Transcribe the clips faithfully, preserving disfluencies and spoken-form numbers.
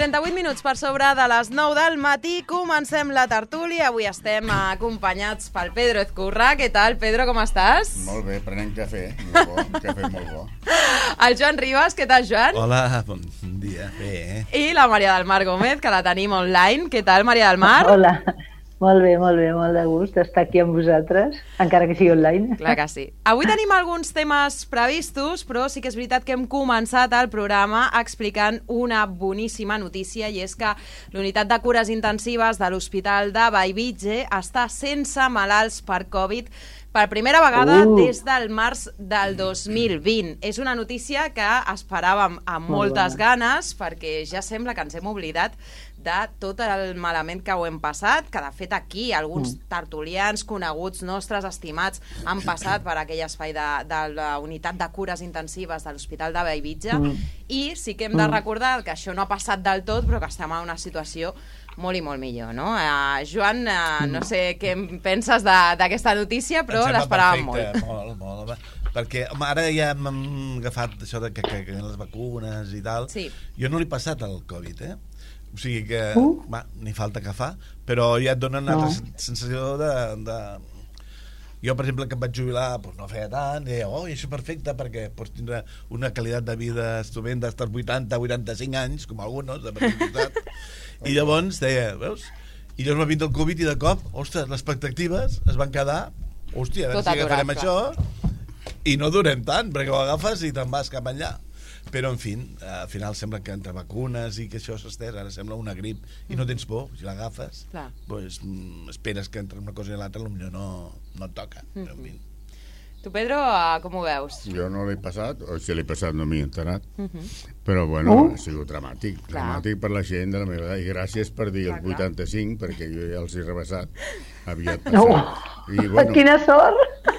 trenta-vuit minuts per sobre de les nou del matí. Comencem la tertúlia. Avui estem acompanyats pel Pedro Ezcurra. Què tal, Pedro, com estàs? Molt bé, prenent cafè. Molt bo, un cafè molt bo. El Joan Ribas. Què tal, Joan? Hola, bon dia. Bé, eh? I la Maria del Mar Gómez, que la tenim online. Què tal, Maria del Mar? Hola. Molt bé, molt bé, molt de gust estar aquí amb vosaltres, encara que sigui online. Clar que sí. Avui tenim alguns temes previstos, però sí que és veritat que hem començat el programa explicant una boníssima notícia, i és que l'unitat de cures intensives de l'Hospital de Bellvitge està sense malalts per Covid per primera vegada uh. des del març del dos mil vint. És una notícia que esperàvem amb moltes ganes, perquè ja sembla que ens hem oblidat de tot el malament que ho hem passat, que de fet aquí alguns tertulians coneguts nostres, estimats, han passat per aquell espai de, de la unitat de cures intensives de l'Hospital de Bellvitge, mm. i sí que hem de recordar que això no ha passat del tot, però que estem en una situació molt i molt millor, no? Uh, Joan, uh, no sé què en penses d'aquesta notícia, però l'esperàvem molt. Molt, molt, molt. Perquè home, ara ja hem agafat això de que, que, que les vacunes i tal. Sí. Jo no l'he passat al Covid, eh? O sigui que, uh. va, ni falta que fa, però ja et dona una no. sensació de, de... Jo, per exemple, que em vaig jubilar, doncs no feia tant, i deia, oh, això és perfecte, perquè pots tindre una qualitat de vida estupenda, estar vuitanta, vuitanta-cinc anys, com alguns, de veritat. I llavors deia, veus? I llavors va vindre el Covid i de cop, ostres, les expectatives es van quedar, hòstia, a veure si agafarem això, i no durem tant, perquè ho agafes i te'n vas cap enllà. Però, en fi, al final sembla que entre vacunes i que això s'estès, ara sembla una grip i no tens por, si l'agafes, doncs esperes que entre una cosa i l'altra potser no, no et toca. Però, en fi. Tu, Pedro, com ho veus? Jo no l'he passat, o si l'he passat no m'hi he enterat, però, bueno, uh. ha sigut dramàtic, Clar. dramàtic per la gent de la meva edat, i gràcies per dir els vuitanta-cinc, perquè jo ja els he rebassat, aviat passat. No. I, bueno, quina sort!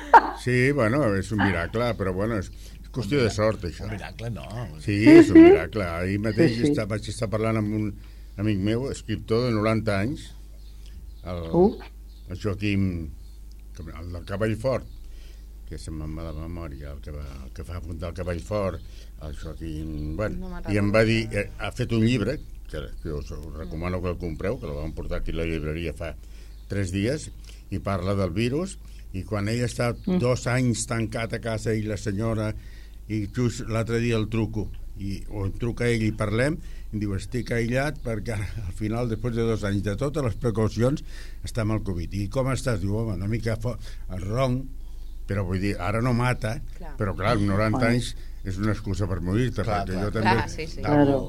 Sí, bueno, és un miracle, però, bueno, és qüestió de sort, això. Un miracle, no. Sí, és un miracle. Ahir mateix sí, sí. Està, vaig estar parlant amb un amic meu, escriptor de noranta anys, el, uh. el Joaquim, el del Cavall Fort, que se'm va de memòria, el que, va, el que fa apuntar el Cavall Fort, el Joaquim... Bueno, no i em va dir, eh, ha fet un llibre, que, que us, us recomano que el compreu, que el vam portar aquí a la llibreria fa tres dies, i parla del virus, i quan ell està mm. dos anys tancat a casa i la senyora... i just l'altre dia el truco i, o em truca ell i parlem i em diu, estic aïllat perquè al final, després de dos anys de totes les precaucions, està amb el Covid. I com estàs? Diu, home, una mica ronc, però vull dir, ara no mata, clar. Però clar, noranta anys és una excusa per morir-te, clar, perquè clar. Jo també... Clar, sí, sí. Claro.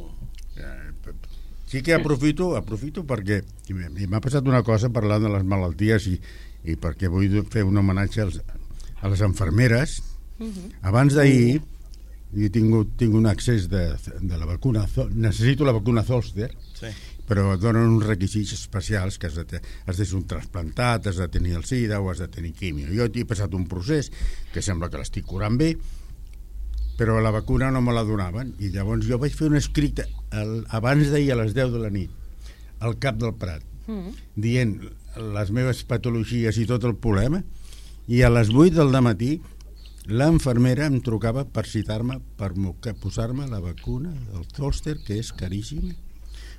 Sí que aprofito, aprofito perquè m'ha passat una cosa parlant de les malalties i, i perquè vull fer un homenatge als, a les infermeres. Uh-huh. Abans d'ahir he tingut, tinc un accés de, de la vacuna, necessito la vacuna Zoster, sí. Però et donen uns requisits especials que has de, has de ser un trasplantat, has de tenir el SIDA o has de tenir quimio. Jo he passat un procés que sembla que l'estic curant bé, però la vacuna no me la donaven, i llavors jo vaig fer un escrit el, abans d'ahir a les deu de la nit al Cap del Prat, uh-huh. dient les meves patologies i tot el problema, i a les vuit del dematí l'infermera em trucava per citar-me, per posar-me la vacuna del Zoster, que és caríssim.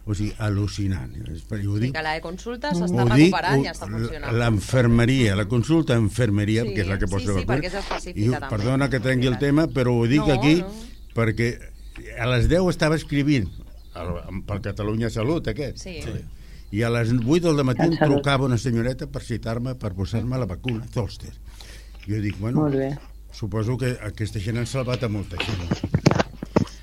O sigui, al·lucinant. Ho dic, que la de consulta s'està recuperant i està funcionant. L'enfermeria, la consulta d'enfermeria, sí, que és la que posa sí, la sí, perquè és específica I, també. Perdona que trenqui el tema, però ho dic no, aquí no. Perquè a les deu estava escrivint per Catalunya Salut, aquest. Sí. Sí. I a les vuit del matí em trucava una senyoreta per citar-me, per posar-me la vacuna Zoster. Jo dic, bueno... Molt bé. Suposo que aquesta gent ha salvat a molta gent.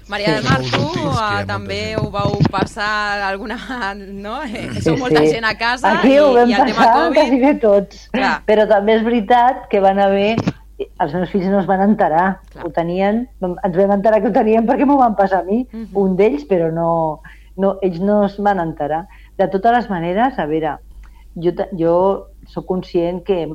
Maria del Mar, tu uh, també ho vau passar alguna... no? Eh, sou sí, molta sí. gent a casa aquí i, ho vam i el tema Covid... quasi bé tots. Clar. Però també és veritat que van haver... Els meus fills no es van enterar. Clar. Ho tenien... Ens vam enterar que ho tenien perquè m'ho van passar a mi, uh -huh. un d'ells, però no, no, ells no es van enterar. De totes les maneres, a veure, jo, jo sóc conscient que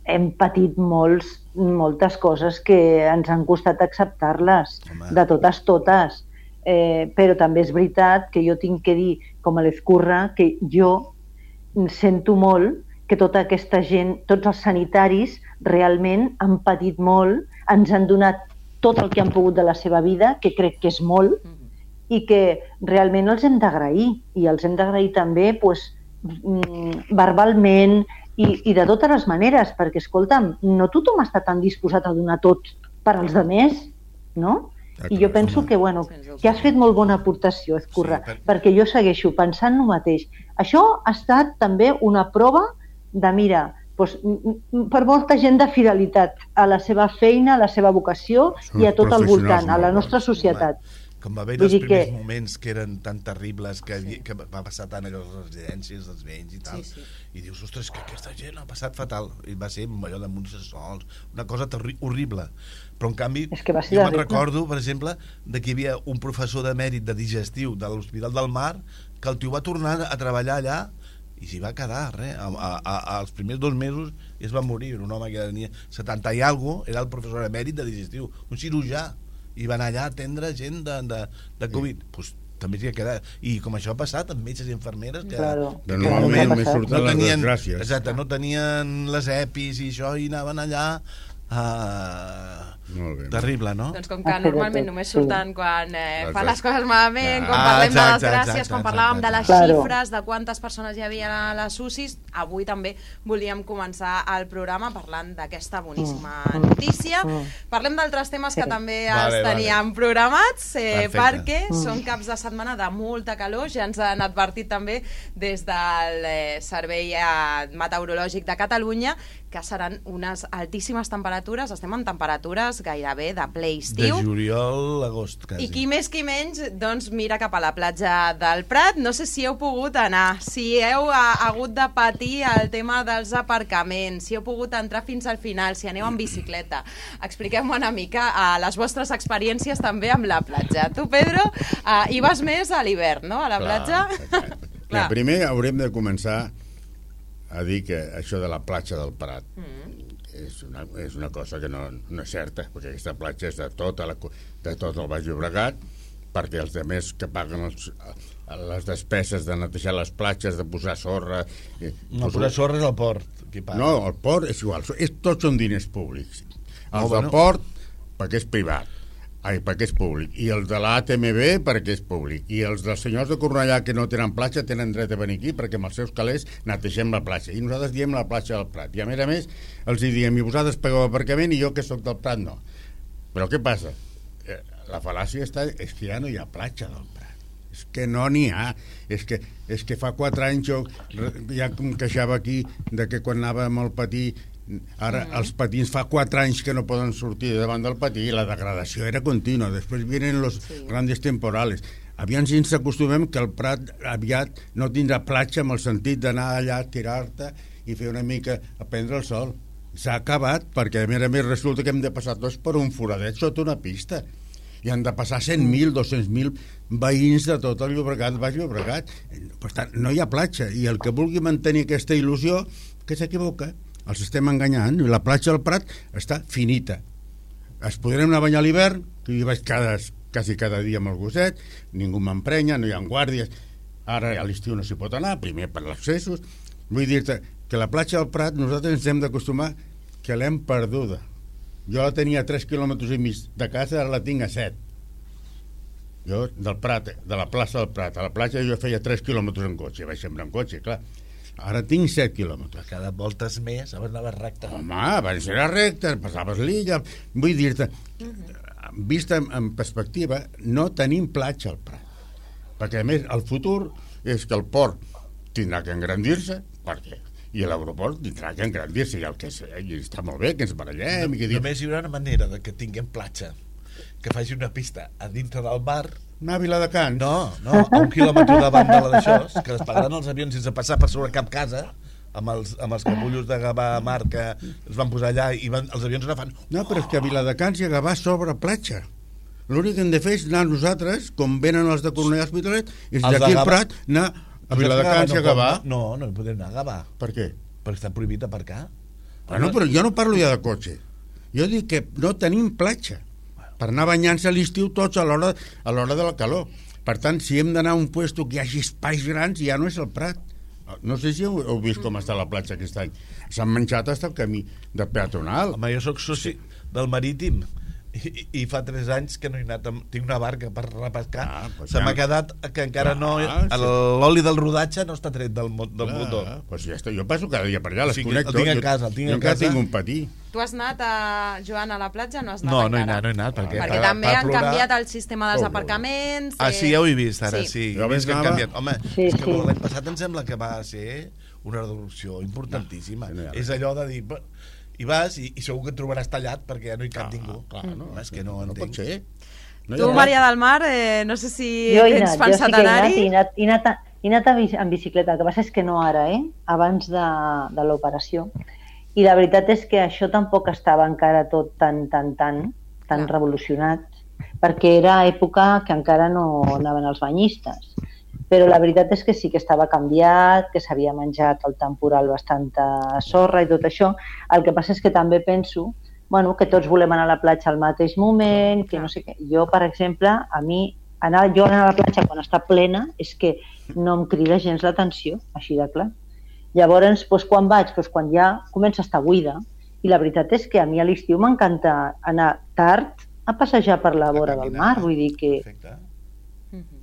hem patit molts, moltes coses que ens han costat acceptar-les, de totes, totes. Eh, però també és veritat que jo tinc que dir, com a l'Ezcurra, que jo sento molt que tota aquesta gent, tots els sanitaris, realment han patit molt, ens han donat tot el que han pogut de la seva vida, que crec que és molt, i que realment els hem d'agrair, i els hem d'agrair també pues, verbalment i, i de totes les maneres, perquè, escolta'm, no tothom està tan disposat a donar tot per als altres, no? I jo penso que, bueno, que has fet molt bona aportació, Ezcurra, sí, per... perquè jo segueixo pensant el mateix. Això ha estat també una prova de, mira, doncs, per molta gent de fidelitat a la seva feina, a la seva vocació i a tot el voltant, a la nostra societat. Com va haver els primers que... moments que eren tan terribles, que, sí. que va passar tant a les residències dels veïns i tal, sí, sí. i dius, ostres, que aquesta gent ha passat fatal, i va ser allò de munts de sols, una cosa horrible. Però en canvi, jo me'n recordo, per exemple, de que hi havia un professor de mèrit de digestiu de l'Hospital del Mar, que el tio va tornar a treballar allà i s'hi va quedar, res, a, a, a, als primers dos mesos i es va morir, un home que tenia setanta i alguna cosa, era el professor de mèrit de digestiu, un cirurgià, i va anar allà a atendre gent de, de, de Covid. Sí. Pues, també s'hi ha quedat. I com això ha passat amb metges i infermeres que, claro. que normalment no, no tenien, exacte, no tenien les epis i això, i anaven allà a... Bé, terrible, no? Doncs com que normalment només surten quan eh, fan les coses malament, ah, quan parlem exacte, de les gràcies, exacte, quan parlàvem exacte, de les claro. xifres, de quantes persones hi havia a les U C Is, avui també volíem començar el programa parlant d'aquesta boníssima mm. notícia. Mm. Parlem d'altres temes sí. que també vale, els teníem vale. programats, eh, perquè mm. són caps de setmana de molta calor, ja ens han advertit també des del eh, Servei eh, Meteorològic de Catalunya que seran unes altíssimes temperatures, estem en temperatures gairebé de ple estiu. De juliol a agost, quasi. I qui més qui menys, doncs mira cap a la platja del Prat. No sé si heu pogut anar, si heu ha, hagut de patir el tema dels aparcaments, si heu pogut entrar fins al final, si aneu en bicicleta. Expliqueu-me una mica uh, les vostres experiències també amb la platja. Tu, Pedro, uh, hi vas més a l'hivern, no?, a la clar, platja? Clar. Clar. Primer haurem de començar a dir que això de la platja del Prat mm. és, una, és una cosa que no, no és certa, perquè aquesta platja és de, tota la, de tot el Baix Llobregat, perquè els altres que paguen els, les despeses de netejar les platges, de posar sorra... No, posar sorra és el port. Qui paga. No, el port és igual, és, tots són diners públics. Els oh, del bueno. port, perquè és privat. Ai, perquè és públic. I els de l'A T M B perquè és públic. I els dels senyors de Cornellà que no tenen platja tenen dret a venir aquí perquè amb els seus calés netegem la platja. I nosaltres diem la platja del Prat. I a més a més els hi diem, i vosaltres pagueu aparcament i jo que sóc del Prat no. Però què passa? La fal·làcia està, és que ja no hi ha platja del Prat. És que no n'hi ha. És que, és que fa quatre anys jo ja em queixava aquí de que quan anàvem al patí ara mm. els patins fa quatre anys que no poden sortir davant del patí i la degradació era contínua. Després vienen los sí. grandes temporales. Aviam si ens acostumem que el Prat aviat no tindrà platja amb el sentit d'anar allà a tirar-te i fer una mica a prendre el sol. S'ha acabat perquè a més a més resulta que hem de passar tots per un foradet sota una pista i han de passar cent mil, dos-cents mil veïns de tot el Llobregat, Baix Llobregat. Per tant, no hi ha platja i el que vulgui mantenir aquesta il·lusió que s'equivoca. Els estem enganyant. La platja del Prat està finita. Es podrem anar a banyar a l'hivern, que hi vaig cada, quasi cada dia amb el gosset, ningú m'emprenya, no hi ha guàrdies. Ara a l'estiu no s'hi pot anar, primer per els accessos. Vull dir-te que la platja del Prat nosaltres ens hem d'acostumar que l'hem perduda. Jo la tenia a tres quilòmetres i mig de casa, ara la tinc a set. Jo, del Prat, de la plaça del Prat a la platja, jo feia tres quilòmetres en cotxe, vaig sempre en cotxe, clar. Ara tinc set quilòmetres. Cada voltes més, abans anaves recte. Home, abans era recte, passaves l'illa. Vull dir-te, vista en perspectiva, no tenim platja al Prat. Perquè, a més, el futur és que el port tindrà que engrandir-se, perquè i l'aeroport tindrà que engrandir-se, i el que sé, i està molt bé que ens barallem. No, i que només hi haurà una manera de que tinguem platja, que faci una pista a dintre del mar. Anar a Viladecans? No, no, a un quilòmetre davant de la d'això, que es pagaran els avions sense passar per sobre cap casa, amb els, amb els capullos de Gavà Mar que es van posar allà i van, els avions no fan... No, però és que a Viladecans i a Gavà sobre platja. L'únic que hem de fer és anar nosaltres, com venen els de Cornellà Hospitalet, és d'aquí al Prat anar a Viladecans i a Gavà. No, no hi podem anar a Gavà. Per què? Perquè està prohibit aparcar. Bueno, però jo no parlo ja de cotxe. Jo dic que no tenim platja per anar banyant-se a l'estiu tots a l'hora a l'hora de la calor. Per tant, si hem d'anar a un puesto que hi hagi espais grans, ja no és el Prat. No sé si heu, heu vist com està la platja aquest any. S'han menjat fins el camí de peatonal. Home, jo sóc soci del Marítim I, i fa tres anys que no he anat, tinc una barca per repescar, ah, pues se ja. m'ha quedat que encara ah, no, sí. l'oli del rodatge no està tret del, del ah, motor. Pues ja està. Jo passo cada dia per allà, les O sigui, connecto. el tinc a Jo- casa, el tinc jo a encara casa. tinc un patí. Tu has anat, a, Joan, a la platja o no has anat No, encara? no he anat, no he anat, perquè, Perquè per- també per han plorar- canviat el sistema dels Oh, aparcaments. Ah, sí, ja ho he vist ara, Sí. sí. Jo He vist que han anava- canviat. Home, Sí, és que sí. l'any passat em sembla que va ser una reducció importantíssima. No, no hi ha És res. allò de dir... "Però-" I vas i, i segur que et trobaràs tallat perquè ja no hi cap ningú. Clar, no, és que no ho no entenc. pot ser. No hi Tu, ha Maria del Mar, eh, no sé si Jo he tens anat, jo sí pensat que he anat, anar-hi. i he anat, he anat, a, he anat a bici, en bicicleta, el que passa és que no ara, eh? abans de, de l'operació. I la veritat és que això tampoc estava encara tot tan, tan, tan, tan Clar. revolucionat, perquè era època que encara no anaven els banyistes. Però la veritat és que sí que estava canviat, que s'havia menjat el temporal bastanta sorra i tot això. El que passa és que també penso bueno, que tots volem anar a la platja al mateix moment, que no sé què. Jo, per exemple, a mi, anar, jo anar a la platja quan està plena és que no em crida gens l'atenció, així de clar. Llavors, doncs, quan vaig? Doncs quan ja comença a estar buida. I la veritat és que a mi a l'estiu m'encanta anar tard a passejar per la vora del mar, vull dir que... Perfecte.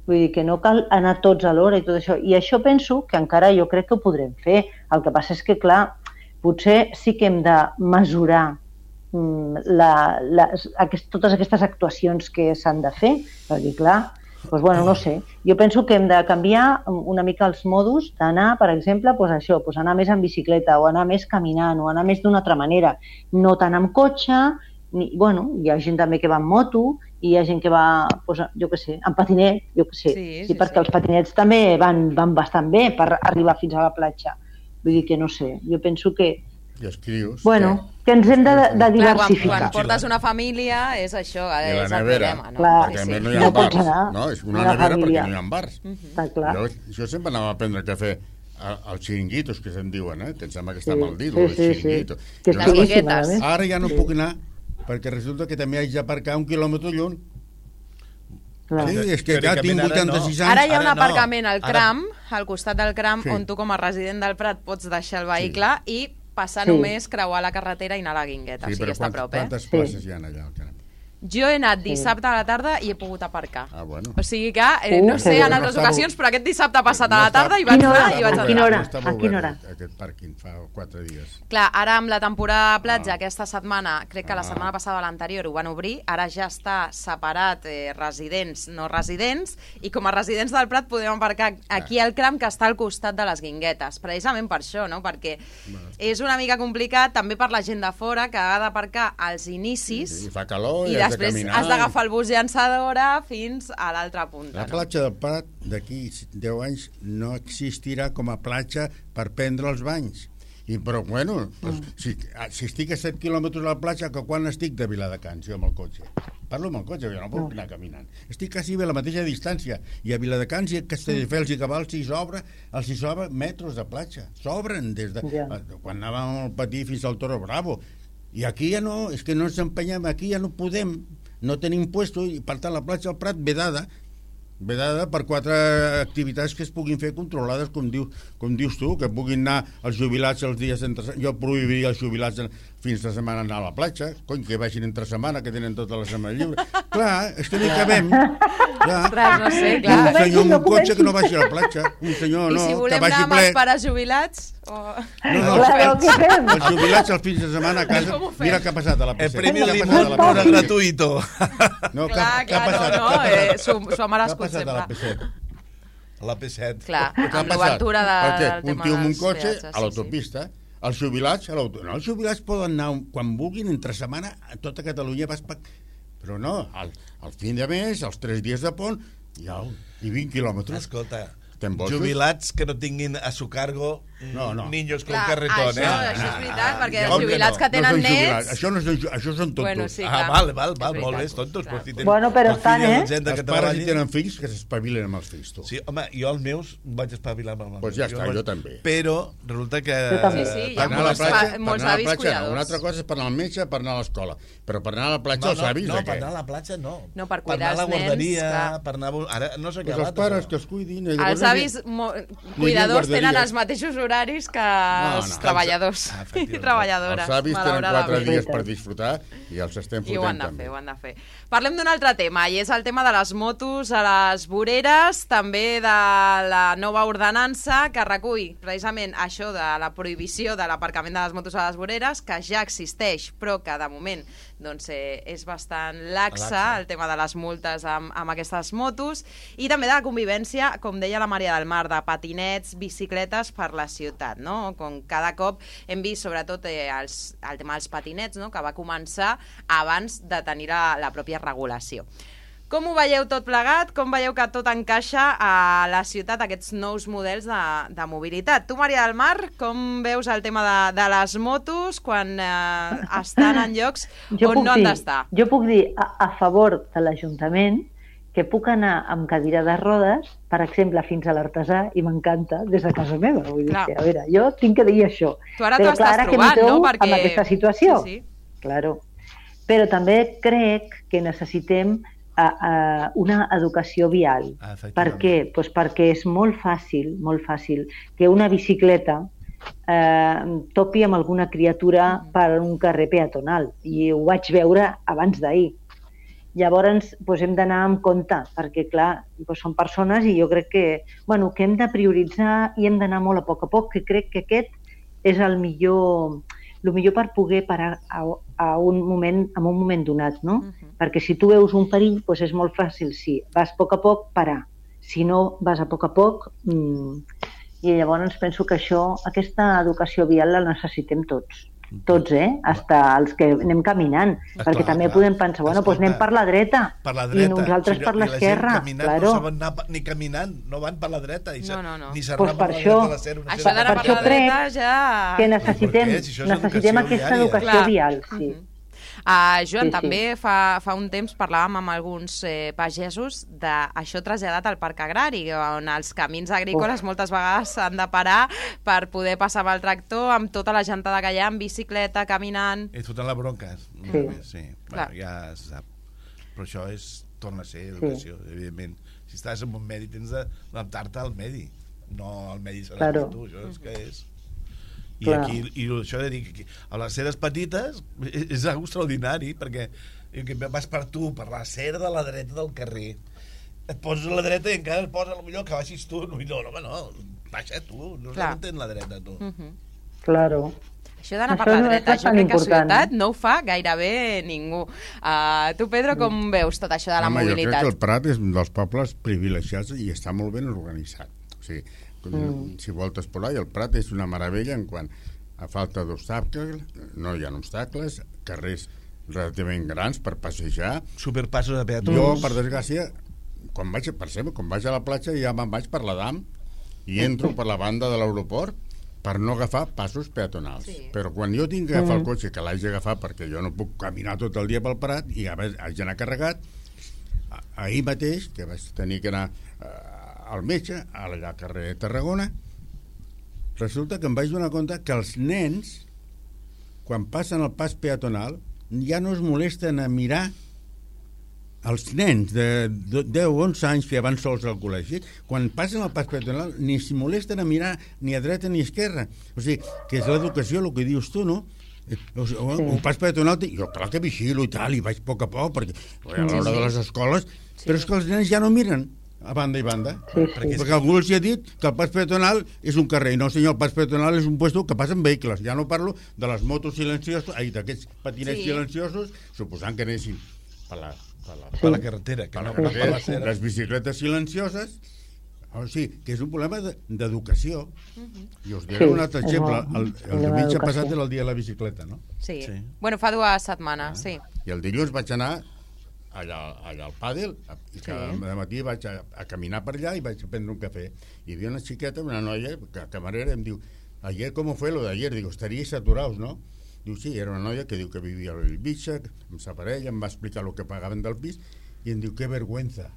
Vull dir que no cal anar tots a l'hora i tot això. I això penso que encara jo crec que ho podrem fer. El que passa és que, clar, potser sí que hem de mesurar mm, la, la, aquest, totes aquestes actuacions que s'han de fer, perquè, clar, doncs, bueno, no sé. Jo penso que hem de canviar una mica els modus d'anar, per exemple, doncs això, doncs anar més en bicicleta o anar més caminant o anar més d'una altra manera. No tant amb cotxe, ni, bueno, hi ha gent també que va amb moto, i hi ha gent que va, doncs, jo què sé, en patinet, jo què sé, Sí, sí, sí, perquè sí. els patinets també van, van bastant bé per arribar fins a la platja. Vull dir que no sé, jo penso que, I els crios... bueno, que ens hem de, de Clar, quan, diversificar. quan portes una família és això, I la és el nevera, problema. No? Clar. perquè Sí, a sí. més no hi ha No pots bars. anar No, és una amb la nevera perquè família. no hi ha bars. Està clar. Jo, jo sempre anava a prendre cafè a- als xiringuitos, que se'n diuen, eh? Que em sembla que està Sí, mal dit, sí, el sí, sí. xiringuito. Que és Jo- Les boníssim, guinguetes. a més. Ara ja no Sí. puc anar, perquè resulta que també haig d'aparcar un quilòmetre lluny. Clar. Sí, és que Teòricament ja tinc ara vuitanta-sis no. anys. Ara hi ha un Ara no. aparcament al Ara- Cram, al costat del Cram, Sí. on tu com a resident del Prat pots deixar el vehicle i passar Sí. només, creuar la carretera i anar a la Guingueta. Sí, o sigui, però està a quantes, prop, eh? quantes Sí. places hi ha allà? al Caram? Jo he anat dissabte a la tarda i he pogut aparcar. Ah, bueno. O sigui que, eh, Uh, no sé que en bé. altres No està ocasions, però aquest dissabte ha passat No a la està- tarda i vaig Quina hora? anar i vaig A entrar. quina hora? No estava A quina obert, hora? Aquest pàrquing fa quatre dies. Clar, ara amb la temporada de platja, Ah. aquesta setmana, crec que la Ah. setmana passada o l'anterior ho van obrir, ara ja està separat eh, residents, no residents, i com a residents del Prat podem aparcar aquí al Cram, que està al costat de les Guinguetes, precisament per això, no? Perquè és una mica complicat també per la gent de fora, que ha d'aparcar als inicis Sí, fa calor i i has de després caminar. has d'agafar el bus llançadora fins a l'altra punta. La No? platja del Prat d'aquí deu anys no existirà com a platja per prendre els banys. I, però, bueno, doncs, Mm. si, si estic a set quilòmetres a la platja, que quan estic de Viladecans, jo amb el cotxe? Parlo amb el cotxe, jo no puc anar caminant. Estic quasi bé a la mateixa distància. I a Viladecans i a Castelldefels i Cabals s'hi s'obre, els hi s'obre metres de platja. S'obren des de... Ja. Quan anàvem al patí fins al Toro Bravo. I aquí ja no, és que no ens empenyem, aquí ja no podem, no tenim puesto, i per tant la platja del Prat vedada, vedada per quatre activitats que es puguin fer controlades, com, diu, com dius tu, que puguin anar els jubilats els dies entre setmana. Jo prohibiria els jubilats en, fins de setmana anar a la platja, cony, que vagin entre setmana, que tenen tota la setmana lliure. Clar, és que no hi cabem. Clar. Ostres, no sé, I clar. un senyor amb No un cotxe comencis. que no vagi a la platja, un senyor I no, si que volem vagi anar amb ple. els pares jubilats? O... No, no, Claro, els, què fem? els jubilats els fins de setmana a casa, Com ho fem? mira què ha passat a la P El set. premi Què ha Limón passat a la no P era set? gratuito. No, què- Clar, què ha clar, passat? no, Què ha no, eh, passat? s'ho s'ho ha Què ha merescut passat a la sempre. P set? La P set. Clar, Què ha amb passat? l'obertura de, Perquè del un tema tio amb un dels cotxe peatges, a sí, l'autopista, els jubilats a l'autopista. No, els jubilats poden anar quan vulguin entre setmana a tota Catalunya, vas pa... però no, al, al fin de mes, els tres dies de pont, i, au, i vint quilòmetres. Escolta, Estem bojos? jubilats que no tinguin a su cargo No, no. niños con Clar, carretón, això, eh? això és veritat, perquè com els que jubilats no? que tenen no són jubilats. nets... Això, no són, ju- això són tontos. Bueno, sí, Ah, clar. val, val, És val, molt bé, veritat. tontos. Clar. Però si tenen Bueno, però els estan, fills i eh? la gent de Els que pares treballen- si tenen fills que s'espavilen amb els fills, tu. Sí, home, jo els meus vaig espavilar amb els Pues ja meus. està, vaig- jo també. Però resulta que... Jo també. Sí, sí, hi Per ha anar a la molts platja, pa- per molts anar a la avis platja no. cuidadors. Una altra cosa és per anar al metge, per anar a l'escola. Però per anar a la platja, No, els no, avis, no, de per què? anar a la platja no. No, per per cuidar anar a la els nens, guarderia, clar. per anar... a- Ara no s'ha Pues acabat. els pares això. que els cuidin. i Els llavors avis mo- cuidadors tenen els mateixos horaris que No, els no. treballadors Ah, i efectivament. treballadores. Els avis tenen quatre malauradament. dies per disfrutar i els estem I ho han fotent de també. fer, ho han de fer. Parlem d'un altre tema, i és el tema de les motos a les voreres, també de la nova ordenança que recull precisament això de la prohibició de l'aparcament de les motos a les voreres, que ja existeix, però que de moment doncs, eh, és bastant laxa, Laxa. el tema de les multes amb, amb aquestes motos, i també de la convivència, com deia la Maria del Mar, de patinets, bicicletes per la ciutat, no? Com cada cop hem vist, sobretot, eh, els, el tema dels patinets, no? Que va començar abans de tenir la, la pròpia regulació. Com ho veieu tot plegat? Com veieu que tot encaixa a la ciutat, aquests nous models de, de mobilitat? Tu, Maria del Mar, com veus el tema de, de les motos quan eh, estan en llocs Jo on puc no han dir, d'estar? Jo puc dir a, a favor de l'Ajuntament que puc anar amb cadira de rodes, per exemple, fins a l'Artesà, i m'encanta, des de casa meva. Vull dir Clar. que, a veure, jo tinc que dir això. Tu ara Però t'ho clar, estàs ara que trobant, m'hi trobo no? Perquè... amb aquesta situació. Sí, sí. Claro. Però també crec que necessitem a, a una educació vial. Ah, efectivament. Per què? Pues perquè és molt fàcil, molt fàcil, que una bicicleta eh, topi amb alguna criatura per un carrer peatonal. I ho vaig veure abans d'ahir. Llavors, doncs, hem d'anar amb compte, perquè, clar, doncs, són persones i jo crec que, bueno, que hem de prioritzar i hem d'anar molt a poc a poc, que crec que aquest és el millor, el millor per poder parar a, a un moment, en un moment donat, no? Mhm. Perquè si tu veus un perill, doncs és molt fàcil, si vas a poc a poc, parar. Si no vas a poc a poc, mmm, i llavors penso que això, aquesta educació vial la necessitem tots. Tots, eh? Hasta els que anem caminant. Esclar, perquè també clar. podem pensar, bueno, doncs anem per la dreta. Per la dreta. I nosaltres Si no- per i la gent l'esquerra. caminant Claro. no saben anar pa- ni caminant, no van per la dreta. I No, se- no, no. Ni Pues s'arraven per per la això- dreta a la cera, una Això cera d'anar per per això la crec dreta ja... Que necessitem, Per què? Si això és necessitem educació aquesta viària. educació Clar. vial, sí. Mhm. Uh, Joan, Sí, sí. també fa, fa un temps parlàvem amb alguns eh, pagesos d'això traslladat al parc agrari, on els camins agrícoles Uf. moltes vegades s'han de parar per poder passar amb el tractor, amb tota la gentada que hi ha, en bicicleta, caminant... I fotent la bronca. Sí. Sí. sí. Clar. Bueno, ja se sap. Però això és, torna a ser educació, sí. Evidentment. Si estàs en un medi tens d'adaptar-te al medi, no al medi serà Claro. tu, això és que és... I, Clar. aquí, i això de dir que a les ceres petites és, és algo extraordinari, perquè que vas per tu, per la cera de la dreta del carrer, et poses a la dreta i encara et posa millor que baixis tu. No, no, no, no, baixa tu, no Clar. s'entén la dreta, tu. Uh -huh. Claro. Això d'anar per Això la no és dreta, jo bastant crec que a important. ciutat no ho fa gairebé ningú. Uh, tu, Pedro, com veus tot això de la Home, jo crec mobilitat? que el Prat és un dels pobles privilegiats i està molt ben organitzat. O sigui, mm. si voltes per allà, el Prat és una meravella en quant a falta d'obstacles, no hi ha obstacles, carrers relativament grans per passejar. Superpassos de peatons. Jo, per desgràcia, quan vaig, per exemple, quan vaig a la platja ja me'n vaig per l'Adam i entro per la banda de l'aeroport per no agafar passos peatonals. Sí. Però quan jo tinc que agafar el cotxe, que l'haig d'agafar perquè jo no puc caminar tot el dia pel Prat i a més haig d'anar carregat, a- ahir mateix, que vaig tenir que anar eh, al metge, a la carrer de Tarragona, resulta que em vaig donar compte que els nens, quan passen el pas peatonal, ja no es molesten a mirar els nens de deu o onze anys que van sols al col·legi, quan passen el pas peatonal ni s'hi molesten a mirar ni a dreta ni a esquerra. O sigui, que és l'educació, el que dius tu, no? O sigui, sí. Un pas peatonal, jo clar que vigilo i tal, i vaig a poc a poc, perquè a l'hora de les escoles, sí. Però és que els nens ja no miren a banda i banda. Sí, sí. Perquè, perquè algú els ha dit que el pas peatonal és un carrer. No, senyor, el pas peatonal és un puesto que passen vehicles. Ja no parlo de les motos silencioses, ai, d'aquests patinets Sí. silenciosos, suposant que anessin per la, per la, Per la carretera, que per no la, per la carretera, cera. les bicicletes silencioses. O sigui, que és un problema de- d'educació. I us diré Sí, un altre és exemple. molt- El, el problema diumenge d'educació. passat era el dia de la bicicleta, no? Sí. Sí. Bueno, fa dues setmanes, sí. I el dilluns vaig anar allà, allà al pàdel i cada Sí. matí vaig a, a caminar per allà i vaig a prendre un cafè. I hi havia una xiqueta, una noia, que camarera, em diu, ayer, ¿cómo fue lo de ayer? Digo, estaríais saturados, ¿no? Diu, sí, era una noia que diu que vivia a Bellvitge, amb sa parella, em va explicar el que pagaven del pis, i em diu, que vergüenza.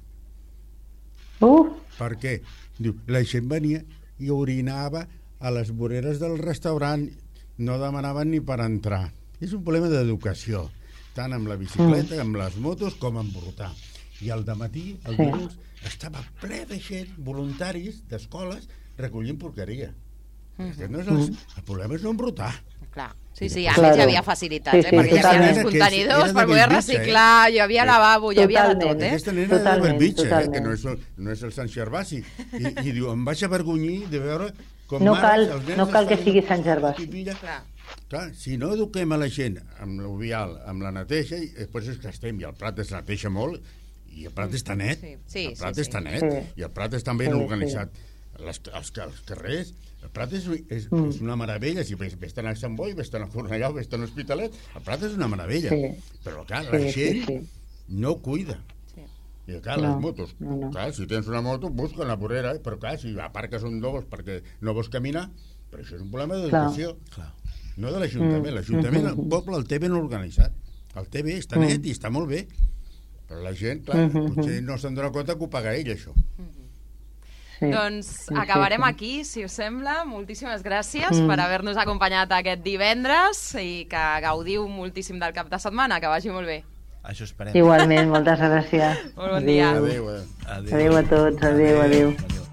Uf, Per què? Diu, la gent venia i orinava a les voreres del restaurant, no demanaven ni per entrar. És un problema d'educació, tant amb la bicicleta, amb les motos, com amb portar. I al dematí, el Sí. dilluns, estava ple de gent, voluntaris d'escoles, recollint porqueria. Mm-hmm. No és el, el problema és no embrutar. Clar. Sí, sí, a Claro. més hi havia facilitats, Sí, eh? sí, perquè hi havia totalment. els contenidors Era de per poder Bellvitge, reciclar, hi havia lavabo, hi havia de tot, Totalment. eh? Aquesta nena era de Totalment, Bellvitge, eh, totalment. que no és, el, no és el Sant Gervasi. I, I diu, em vaig avergonyir de veure com No mares, cal- els nens no cal que es fan sigui Sant Gervasi. pipilla. Clar. Clar, si no eduquem a la gent amb l'ovial, amb la neteja, i després és que estem, i el plat es neteja molt, i el plat està net, Sí, sí, el plat sí, està sí. net, Sí. i el plat està ben Sí, sí. organitzat. Les, els, els carrers, el Prat és, és, Mm. és una meravella. Si ves, ves a Sant Boi, ves a Cornellà, ves a l'Hospitalet, el Prat és una meravella. Sí. Però, clar, Sí, la sí, gent sí. no ho cuida. Sí. I, clar, No, les motos, no, no. clar, si tens una moto, busca la vorera, eh? Però, clar, si aparques un dos perquè no vols caminar, però això és un problema d'educació. Clar. No de l'Ajuntament. Mm. L'Ajuntament, el Mm-hmm. poble, el té ben organitzat. El té bé, està net i està molt bé. Però la gent, clar, Mm-hmm. potser no se'n dona compte que ho paga ell, això. Sí. Doncs Sí, acabarem sí, sí. aquí, si us sembla. Moltíssimes gràcies Mm. per haver-nos acompanyat aquest divendres i que gaudiu moltíssim del cap de setmana. Que vagi molt bé. Això esperem. Igualment, moltes gràcies. Molt bon dia. Adéu, eh? Adéu a tots, adéu, adéu. adéu.